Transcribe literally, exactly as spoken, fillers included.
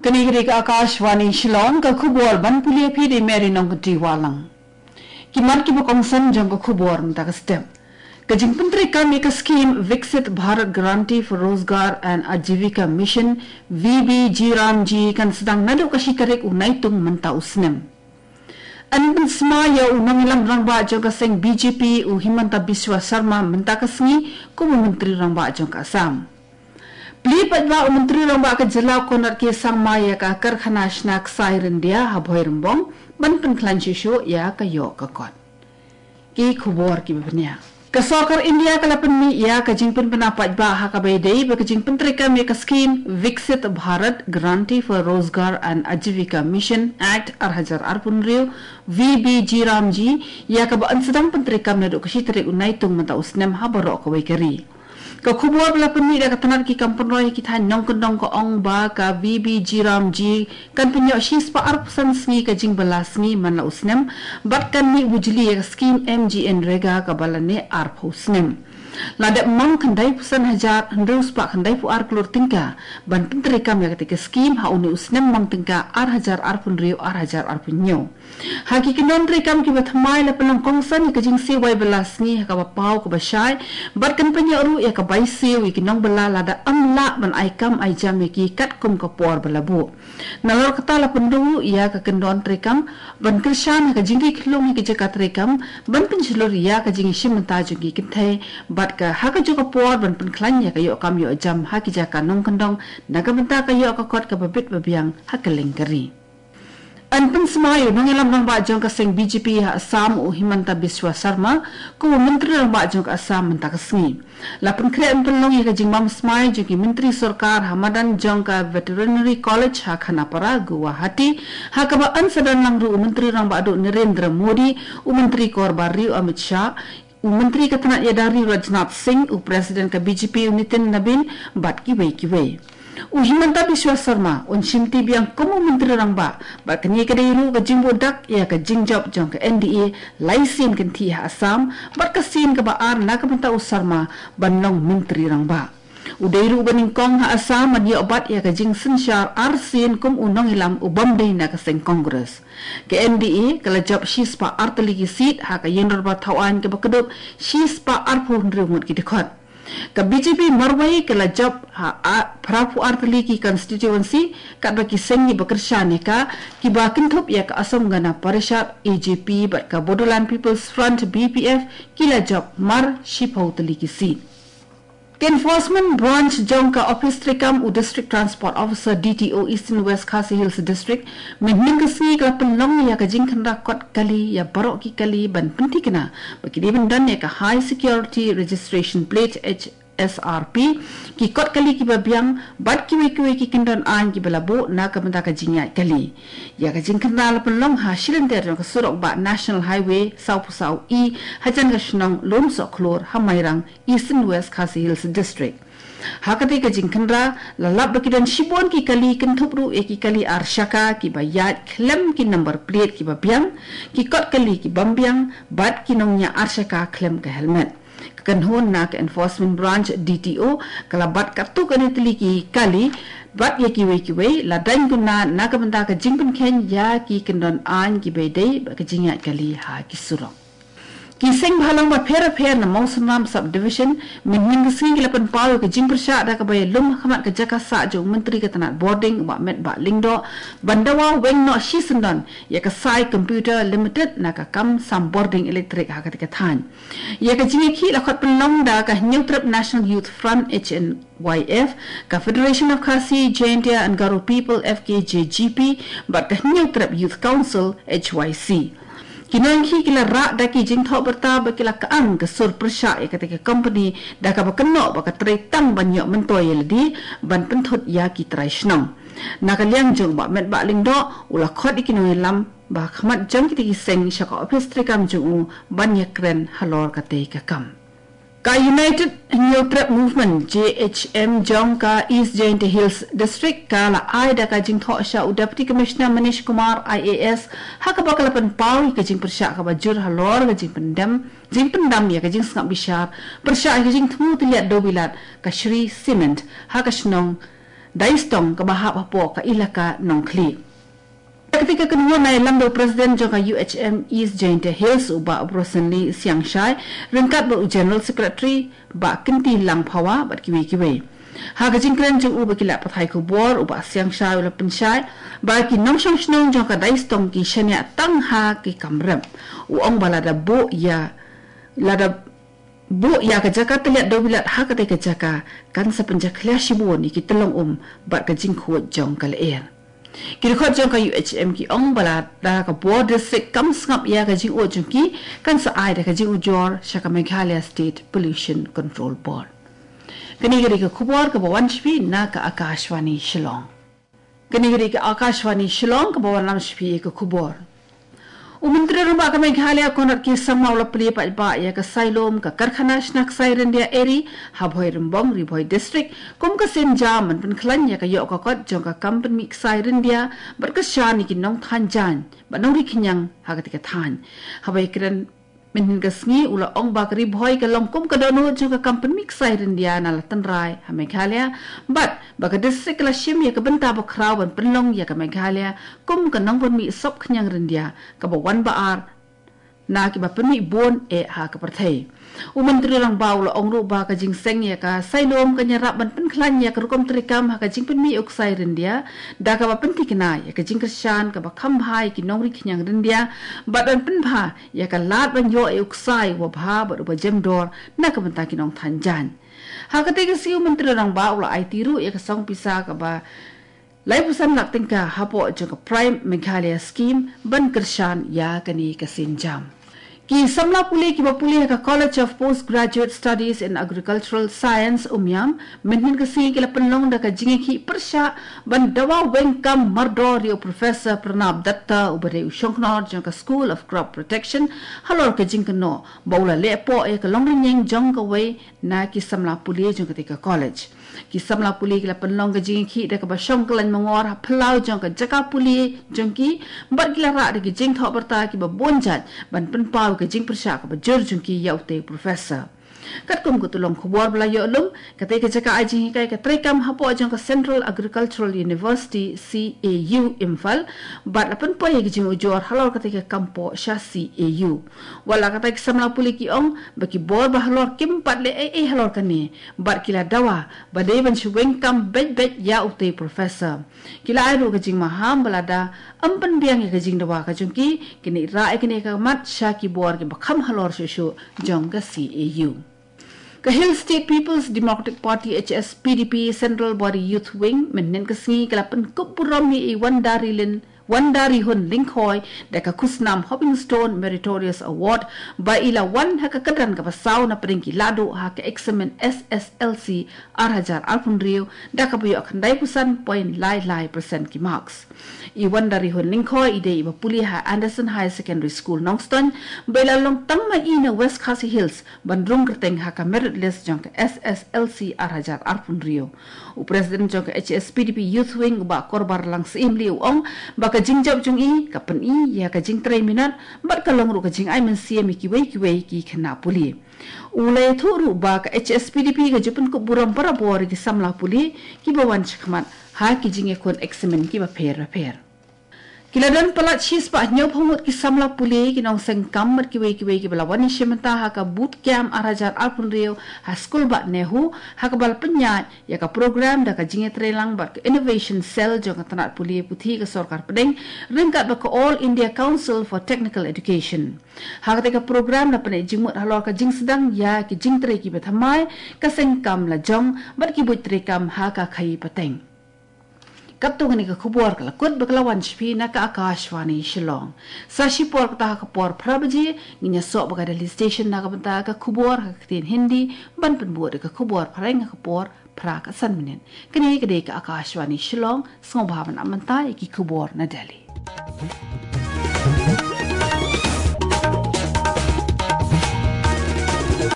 Kane ka dei ka Akashvani Shillong, ka khubor ban pule ïa phi da i Mary Nongkynrih Wahlang. Ki mat kiba kongsan jong ka khubor mynta ka step. Ka jingpyntreikam ïa ka skim Viksit Bharat Guarantee for Rozgar and Ajivika Mission, V B G RAM G, kan sdang naduh ka shi tarik u Naitung mynta u snem. Yn pynsma ïa u nongïalam rangbah jong ka seng B J P u Himanta Biswa Sarma mynta ka sngi kum u Myntri Rangbah jong ka Assam. Plie paidbah u Myntri Rangbah ka jylla u Conrad K Sangma ïa ka karkhana shna ksai ryndia ha Bhoirymbong ban pynkhlaiñ shuh shuh ïa ka ïoh ka kot. Ki khubor kiba bniah. Ka sorkar India ka la pynmih ïa ka jingpynbna paidbah ha kaba ïadei bad ka jingpyntreikam ïa ka skim Viksit Bharat Guarantee for Rozgar and Ajivika Mission Act ar hajar arphew hynriew, V B G RAM G, ïa kaba yn sdang pyntreikam naduh ka shi tarik u Naitung mynta u snem ha baroh kawei ka ri. Ka khubor ba la pynmih da ka tnat ki kam pynroi ha ki thaiñ nongkyndong ka ong ba ka V B G RAM G kan pynïoh shispah arphew san sngi ka jingbylla sngi man la u snem, bad kan mih bujli ïa ka skim MGNREGA kaba la neh arphew snem. La dep mong khyndai phew san hajar hynriew spah khyndaiphew ar klur tyngka ban pyntreikam ïa kata ka skim ha une u snem mong tyngka ar hajar arphew hynriew ar hajar arphew hynñiew. Ha ki kyndon treikam kiba thymmai la pynlong kongsan ïa ka jingsiew wai bylla sngi ha kaba paw kaba shai, bad kan pynïoh ruh ïa ka bai siew ïa ki nongbylla lada ym lah ban ai kam ai jam ïa ki katkum ka por ba la buh. Nalor kata la pynduh ïa ka kyndon treikam ban kyrshan ha ka jingkyrkhu ha ki jaka treikam, ban pynshlur ïa ka jingïashim bynta jong ki kynthei, bad ka ha kajuh ka por ban pynkhlaiñ ïa ka ïoh kam ïoh jam ha ki jaka nongkyndong na ka bynta ka ïoh ka kot kaba bit ba biang ha kylleng ka ri. Yn pynsma ïa u nongïalam rangbah jong ka seng B J P ha Assam u Himanta Biswa Sarma kum u Myntri Rangbah jong ka Assam mynta ka sngi. La pynkhreh ban pynlong ïa ka jingbam smai jong ki myntri sorkar ha madan jong ka Veterinary College ha Khanapara, Guwahati, ha kaba yn sa don lang ruh u Myntri Rangbah Duh Narendra Modi, u Myntri Kor Barriew Amit Shah, u Myntri ka tnat ïada riew Rajnath Singh, u President ka B J P u Nitin Nabin, bad kiwei kiwei. U Himanta Biswa Sarma un shimti biang kum u Myntri Rangbah, bad kane ka dei ruh ka jingbuh dak ïa ka jingjop jong ka N D A lai sien kynthih ha Assam, bad ka sien kaba ar na ka bynta u Sarma ban long Myntri Rangbah. U dei ruh uba nyngkong ha Assam ban ïoh bat ïa ka jingsynshar arsien kum u nongïalam u bym dei na ka seng Congress. Ka N D A ka la jop shispah ar tylli ki seat ha ka ïingdorbar thawaiñ kaba kdup shispah arphew hynriew ngut ki dkhot. Ka B J P marwei ka la jop ha a-, phraphew ar tylli ki constituency, katba ki seng kiba kyrshan ïa ka, kiba kynthup ïa ka Assam Gana Parishad, A G P, bad ka Bodoland People's Front, B P F, ki la jop mar shiphew tylli ki seat. Ka Enforcement Branch jong ka Office treikam u District Transport Officer, D T O, Eastern West Khasi Hills District, mynhynnin ka sngi ka la pynlong ïa ka jingkhynra kot kali ïa baroh ki kali ban pynthikna ba ki dei ban don ïa ka High Security Registration Plate, H S R P, ki kot kali kiba biang, bad kiwei kiwei ki kyndon aiñ kiba la buh na ka bynta ka jingïaid kali. Ïa ka jingkhynra la pynlong ha shilynter jong ka surok bah National Highway sawphew saw E, hajan ka shnong Lumsohkhlur ha Mairang, Eastern West Khasi Hills District. Ha katei ka jingkhynra, la lap ba ki don shibun ki kali, kynthup ruh ïa ki kali ar shaka kiba ïaid khlem ki number plate kiba biang, ki kot kali ki bym biang, bad ki nongñiah ar shaka khlem ka helmet. Ka kynhun na ka Enforcement Branch, D T O, ka la bat katto katne tylli ki kali, bad ïa kiwei kiwei, la dang kynna na ka bynta ka jingpynkheiñ ïa ki kyndon aiñ kiba dei bad ka jingïaid kali ha ki surok. Ki seng bhalang bapher bapher na Mawsynram Sub-Division, mynhynnin ka sngi ki la pynpaw ïa ka jingpyrshah da kaba ïalum ha khmat ka jaka sah jong u Myntri ka tnat bording u Bah Metbah Lyngdoh, ban dawa weng noh shisyndon ïa ka Sai Computer Limited na ka kam sam bording elektrik ha katei ka thaiñ. Ïa ka jingïakhih la khot pynlong da ka Hynñiewtrep National Youth Front, H N Y F, ka Federation of Khasi, Jaintia and Garo People, F K J G P, bad ka Hynñiewtrep Youth Council, H Y C. Ki nongïakhih ki la rah da ki jingthoh byrta ba ki la kyang ka sur pyrshah ïa katei ka company da kaba kynnoh ba ka trei tang ban ïoh myntoi ïa lade ban pynthut ïa ki trai shnong. Na ka liang jong u Bah Metbah Lyngdoh, u la khot ïa ki nongïalam ba ha khmat jong kitei ki seng sha ka ophis treikam jong u ban ïakren halor katei ka kam. Ka United Hynñiewtrep Movement, J H M, jong ka East Jaintia Hills District ka la ai da ka jingthoh sha u Deputy Commissioner Manish Kumar, I A S, ha kaba ka la pynpaw ïa ka jingpyrshah kaba jur halor ka jingpyndem, jingpyndam ïa ka jingsngap bishar pyrshah ïa ka jingthmu tylliat dewbilat ka Shree Cement ha ka shnong Daistong kaba hap hapoh ka Elaka Nongkhlieh. Katei ka kynhun la ïalam da u President jong ka U H M East Jaintia Hills, u Bah Brosonly Siangshai, ryngkat bad u General Secretary Bah Kynti Langphawa bad kiwei kiwei. Ha ka jingkren jong u ba ki lad pathai khubor, u Bah Siangshai u la pynshai ba ki nongshong shnong jong ka Daistong ki shaniah tang ha ki kam rep. U ong ba lada buh ïa lada buh ïa ka jaka tylliat dewbilat ha katei ka jaka, kan sa pynjakhlia shibun ïa ki tyllong um bad ka jingkhuid jong ka lyer. Ki dkhot jong ka U H M ki ong ba lada ka bor district kam sngap ïa ka jingud jong ki, kan sa ai da ka jingujor sha ka Meghalaya State Pollution Control Board. Kane ka dei ka khubor kaba wan sha phi na ka Akashvani Shillong. Kane ka dei ka Akashvani Shillong kaba wanlam sha phi ïa ka khubor. U Myntri Rangbah ka Meghalaya Conrad K Sangma u la plie paidbah ïa ka Sailom, ka karkhana shna ksai ryndia Eri ha Bhoirymbong, Ri Bhoi District, kum ka sienjam ban pynkhlaiñ ïa ka ïoh ka kot jong ka kam pynmih ksai ryndia bad kyrshan ïa ki nongthaiñ jaiñ bad nongri khñiang ha katei ka thaiñ. Haba ïakren mynhynnin ka sngi, u la ong ba ka Ri Bhoi ka long kum ka dohnud jong ka kam pynmih ksai ryndia na la tynrai ha Meghalaya, bad ba ka district ka la shim ïa ka bynta bakhraw ban pynlong ïa ka Meghalaya kum ka nongpynmih sop khñiang ryndia kaba wan ba ar na kiba pynmih bun eh ha ka pyrthei. U Myntri Rangbah u la ong ruh ba ka jingseng ïa ka Sailom kan ïarap ban pynkhlaiñ ïa ka rukom treikam ha ka jingpynmih u ksai ryndia, da kaba pynthikna ïa ka jingkyrshan kaba kham bha ïa ki nongri khñiang ryndia, bad ban pynbha ïa ka lad ban ïoh ïa u ksai uba bha bad uba jem dor na ka bynta ki nongthaiñ jaiñ. Ha katei ka sngi u Myntri Rangbah u la aiti ruh ïa ka song pisa kaba laiphew san lak tyngka hapoh jong ka Prime Meghalaya Scheme ban kyrshan ïa kane ka sienjam. Ki samla pule kiba pule ha ka College of Postgraduate Studies in Agricultural Science, Umiam, mynhynnin ka sngi ki la pynlong da ka jingïakhih pyrshah ban dawa weng kam mardor ïa u Professor Pranab Dutta, uba dei u shongknor jong ka School of Crop Protection, halor ka jingkynnoh ba u la leh poh ïa ka longrynïeng jong kawei na ki samla pule jong katei ka college. Ki samla pule ki la pynlong ka jingïakhih da kaba shong kyllaiñ mangor ha phyllaw jong ka jaka pule jong ki, bad ki la rah da ki jingthoh byrta kiba bun jait ban pynpaw ïa ka jingpyrshah kaba jur jong ki ïa utei u professor. Katkum ka tyllong khubor ba la ïoh lum, katei ka jaka ai jinghikai ka treikam hapoh jong ka Central Agricultural University, C A U, Imphal, bad la pynpoi ïa ka jingujor halor katei ka kam poh sha C A U. Wat la katta, ki samla pule ki ong ba ki bor ba halor kim pat leh ei ei halor kane, bad ki la dawa ba dei ban shu weng kam beit beit ïa utei u professor. Ki la ai ruh ka jingmaham ba lada ym pynbiang ïa ka jingdawa ka jong ki, kin ïa rah ïa kane ka mat sha ki bor kiba kham halor shuh shuh jong ka C A U. Ka Hill State People's Democratic Party, H S P D P, Central Body Youth Wing, mynhynnin ka sngi ka la pynkup burom ïa i Wanda Rilin, Wanda Rihun Lyngkhoi, da ka khusnam Hopping Stone Meritorious Award, ba i la wan ha ka kyrdan kaba saw na pdeng ki lahduh ha ka eksamin S S L C ar hajar arphew hynriew, da kaba ïoh khyndai phew san point lai lai percent ki marks. I Wanda Rihun Lyngkhoi i dei iba pule ha Anderson Higher Secondary School, Nongstoiñ, ba i la long tang ma i na West Khasi Hills ban rung kyrteng ha ka merit list jong ka S S L C ar hajar arphew hynriew. U President jong ka H S P D P Youth Wing, u Bah Korbar Lang Syiemlieh, u ong ba ka jingjop jong i ka pyni ïa ka jingtrei minot bad ka long ruh ka jingai mynsiem ïa kiwei kiwei ki khynnah pule. U la ïathuh ruh ba ka H S P D P ka ju pynkup burom barabor ïa ki samla pule kiba wan shakhmat ha ki jingïakhun eksamin kiba pher bapher. Ki la don palat shispah hynñiewphew ngut ki samla pule, ki nongseng kam bad kiwei kiwei kiba la wan ïashim bynta ha ka Boot Camp ar hajar arphew hynriew ha Skul Bah Nehu, ha kaba la pynïaid ïa ka program da ka jingïatreilang bad ka Innovation Cell jong ka tnat pule puthi ka sorkar pdeng, ryngkat bad ka All India Council for Technical Education. Ha katei ka program la pyni jingmut halor ka jingsdang ïa ki jingtrei kiba thymmai, ka seng kam lajong bad ki buit treikam ha ka khaïi pateng. Katto katne ka khubor ka la kut bad ka la wan sha phi na ka Akashvani Shillong. Sa shipor kata ha ka por phra baje ngin ïasoh bad ka Delhi Station na ka bynta ka khubor ha ka ktien Hindi, ban pynbud da ka khubor phareng ha ka por phra ka san minit. Kane ka dei ka Akashvani Shillong, sngewbha ban ap mynta ïa ki khubor na Delhi.